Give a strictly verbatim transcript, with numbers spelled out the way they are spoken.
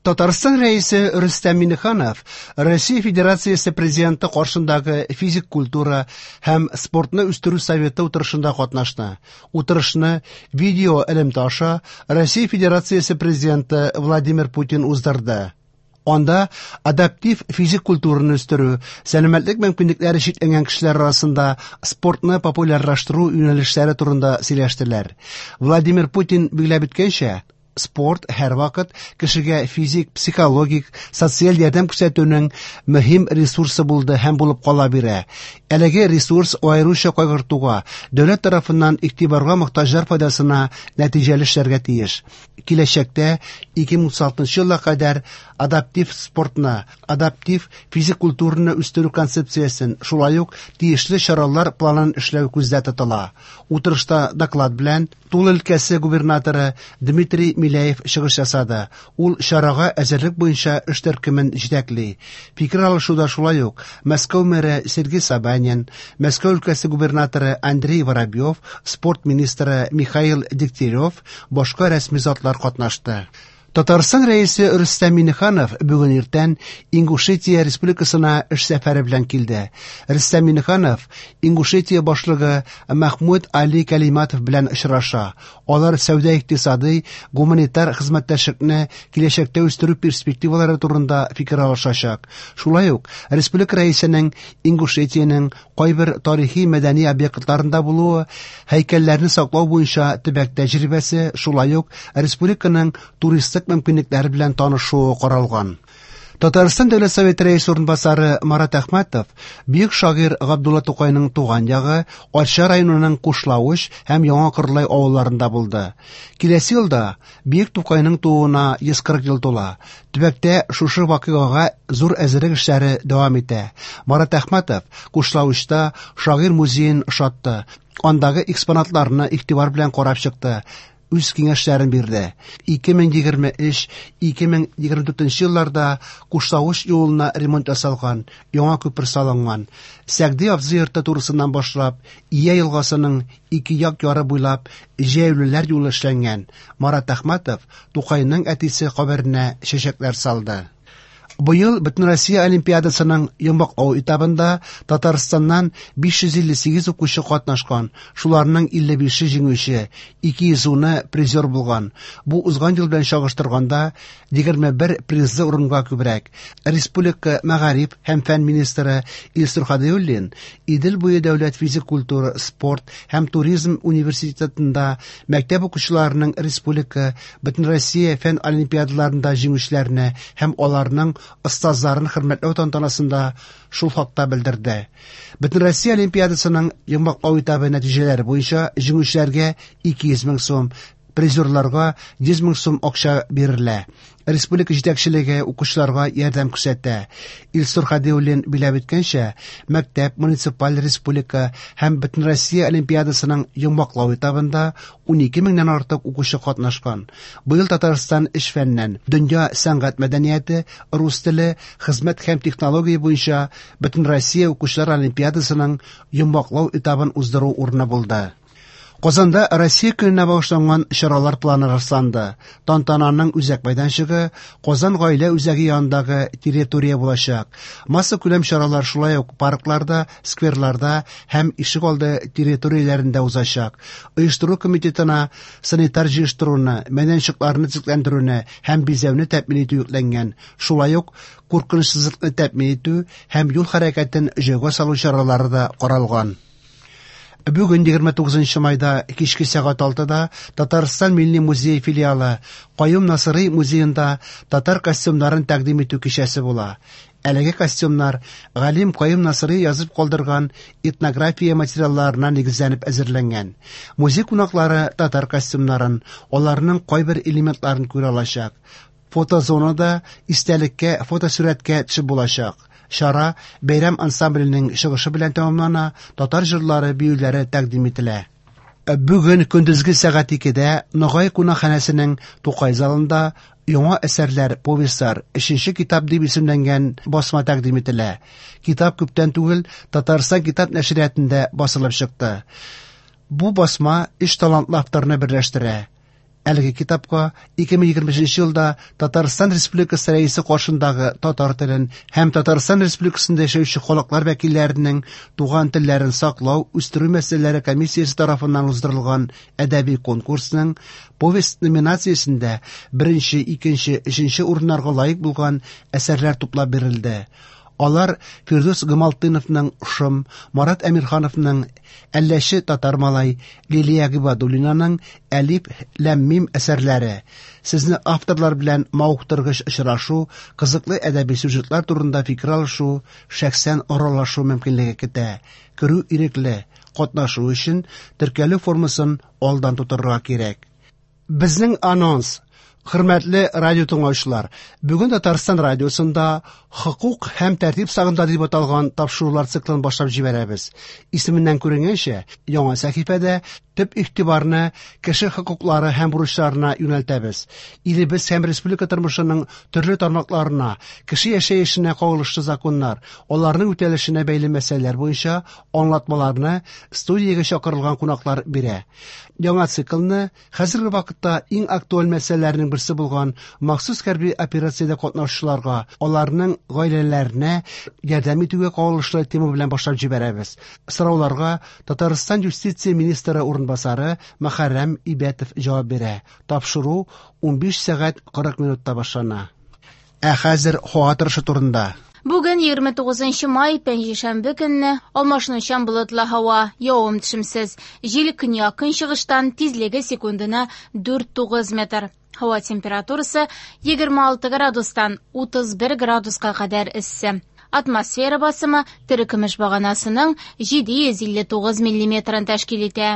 Татарстан Рәисе Рөстәм Миңнеханов Россия Федерациясе Президенты каршындагы физик культура һәм спортны үстерү советы утырышында катнашты. Утырышны видео элемтә аша Россия Федерациясе Президенты Владимир Путин уздырды. Анда адаптив физик культураны үстерү, сәламәтлек мөмкинлекләре чикләнгән кешеләр арасында спортны популярлаштыру юнәлешләре турында сөйләштеләр. Владимир Путин билгеләп үткәнчә, спорт һәрвакыт кешегә физик, психологик, социаль ярдәм күрсәтүнең мөһим ресурсы булды һәм булып кала бирә. Әлеге ресурс аеруча кайгыртуга, дәүләт тарафыннан игътибарга мохтаҗлар файдасына нәтиҗәле эшләргә тиеш. Киләчәктә ике мең утыз алтынчы елга кадәр адаптив спортны, адаптив физик культураны үстерү концепциясен, шулай ук тиешле чаралар планын эшләү күздә тотыла. Утырышта доклад белән Тула өлкәсе губернаторы Дмитрий Миляев чыгыш ясады. Ул чарага әзерлек буенча эш төркемен җитәкли. Фикер алышуда шулай ук Мәскәү мэры Сергей Собянин, Мәскәү өлкәсе губернаторы Андрей Воробьев, спорт министры Михаил Дегтярев, башка рәсми затлар катнашты. Татарстан Рәисе Рөстәм Миңнеханов бүген иртән Ингушетия Республикасына эш сәфәре белән килде. Рөстәм Миңнеханов Ингушетия башлыгы Махмуд Али Калиматов белән очраша. Алар сәүдә-икътисадый, гуманитар хезмәттәшлекне киләчәктә үстерү перспективалары турында фикер алышачак. Шулай ук республика рәисенең Ингушетиянең кайбер тарихи мәдәни объектларында булуы, һәйкәлләрне саклау буенча төбәк тәҗрибәсе, шулай ук республиканың туристик мөмкинлекләре белән танышуы каралган. Татарстан Дәүләт Советы рәисе урынбасары Марат Әхмәтов бөек шагыйрь Габдулла Тукайның туган ягы Арча районының Кушлавыч һәм Яңа Кырлай авылларында булды. Киләсе елда бөек Тукайның тууына йөз кырык ел тула. Төбәктә шушы вакыйгага зур әзерлек эшләре дәвам итә. Марат Әхмәтов Кушлавычта шагыйрь музеен ошатты. Андагы экспонатларны игътибар белән карап чыкты. Үз киңәшләрен бирде. Ике мең егерме өч, ике мең егерме дүртенче елларда Кушлавыч юлына ремонт ясалган, яңа күпер салынган. Сәгъди абзый йорты турысыннан башлап, Ия елгасының ике як яры буйлап җәяүлеләр юлы эшләнгән. Марат Әхмәтов Тукайның әтисе каберенә чәчәкләр салды. Быел Бөтенроссия Олимпиадасының йомгаклау этабында Татарстаннан биш йөз илле сигез укучы катнашкан, шуларның илле бише җиңүче, ике йөз уны призер булган. Бу узган ел белән чагыштырганда егерме бер призлы урынга күбрәк. Республика мәгариф һәм фән министры Илсур Һадиуллин Идел буе дәүләт физик культура, спорт һәм туризм университетында мәктәп укучыларының республика Бөтенроссия фән олимпиадаларында җиңүчеләрне һәм аларның остазларын хөрмәтләү тантанасында шул хакта белдерде. Бөтенроссия Олимпиадасының йомгаклау этабы нәтиҗәләре буенча җиңүчеләргә ике йөз мең сум, призерларга йөз мең сум акча бирелә. Республика җитәкчелеге укучыларга ярдәм күрсәтә. Илсур Һадиуллин биләп үткәнчә, мәктәп, муниципаль республика һәм Бөтенроссия Олимпиадасының йомгаклау этабында унике меңнән артык укучы катнашкан. Быел Татарстан эш фәненнән дөнья сәнгать мәдәнияте, рус теле, хезмәт һәм технология буенча Бөтенроссия укучылар Олимпиадасының йомгаклау этабын уздыру урыны булды. Казанда Россия көненә багышланган чаралар планы расланды. Тантананың үзәк мәйданчыгы Казан гаилә үзәге янындагы территория булачак. Масса күләм чаралар шулай ук паркларда, скверларда һәм ишек алды территорияләрендә узачак. Оештыру комитетына санитар җыештыруны, мәйданчыкларны төзекләндерүне һәм бизәүне тәэмин итү йөкләнгән. Шулай ук куркынычсызлыкны тәэмин итү һәм юл хәрәкәтен җайга салу чаралары да каралган. Бүген егерме тугызынчы майда кичке сәгать алтыда Татарстан Милли музее филиалы Каюм Насыйри музеенда татар костюмнарын тәкъдим итү кичәсе була. Әлеге костюмнар галим Каюм Насыйри язып калдырган этнография материалларына нигезләнеп әзерләнгән. Музей кунаклары татар костюмнарын, аларның кайбер элементларын күрә алачак. Фотозонада истәлеккә фотосурәткә төшеп булачак. Чара бәйрәм ансамбленең чыгышы белән тәмамлана, татар җырлары, биюләре тәкъдим ителә. Бүген көндезге сәгать икедә Ногай кунакханәсенең Тукай залында яңа әсәрләр, повестьлар, өченче китап дип исемләнгән басма тәкъдим ителә. Китап күптән түгел Татарстан китап нәшриятында басылып чыкты. Бу басма өч талантлы авторны берләштерә. Әлеге китапка ике мең егерме өченче елда Татарстан Республикасы Рәисе каршындагы татар телен һәм Татарстан Республикасында яшәүче халыклар вәкилләренең туган телләрен саклау, үстерү мәсьәләләре комиссиясе тарафыннан уздырылган әдәби конкурсның повесть номинациясендә беренче, икенче, өченче урыннарга лаек булган әсәрләр туплап бирелде. Алар Фирдүс Гамалтдиновның Шом, Марат Әмирхановның Әлләче татар малай, Лилия Гыйбадуллинаның Әлиф ләм мим әсәрләре. Сезне авторлар белән мавыктыргыч очрашу, кызыклы әдәби сюжетлар турында фикер алышу, шәхсән аралашу мөмкинлеге көтә. Керү ирекле, катнашу өчен теркәлү формасын алдан тутырырга кирәк. Безнең анонс. Хөрмәтле радио тыңлаучылар, бүген Татарстан радиосында Хокук һәм тәртип сагында дип аталган тапшырулар циклын башлап җибәрәбез. Исеменнән күренгәнчә, яңа сәхифәдә төп игътибарны кеше хокуклары һәм бурычларына юнәлтәбез. Илебез һәм республика тормышының төрле тармакларына, кеше яшәешенә кагылышлы законнар, аларның үтәлешенә бәйле мәсьәләләр буенча аңлатмаларны студиягә чакырылган кунаклар бирә. Яңа циклны хәзерге вакытта иң актуаль мәсьәләләрнең берсе булган махсус хәрби операциядә катнашучыларга, аларның гаиләләренә ярдәм итүгә кагылышлы тема белән башлап җибәрәбез. Сорауларга Татарстан юстиция министры урынбасары Мөхәррәм Ибәтов җавап бирә. Тапшыру унбиш сәгать кырык минутта башлана. Ә хәзер һава торышы турында. Бүген егерме тугызынчы май, пәнҗешәмбе көнне алмашынучан болытлы һава, явым-төшемсез. Җил көньяк-көнчыгыштан, тизлеге секундына дүрт тугыз метр. Һава температурасы егерме алты градустан утыз бер градуска кадәр эссе. Атмосфера басымы терекөмеш баганасының җиде йөз илле тугыз миллиметрын тәшкил итә.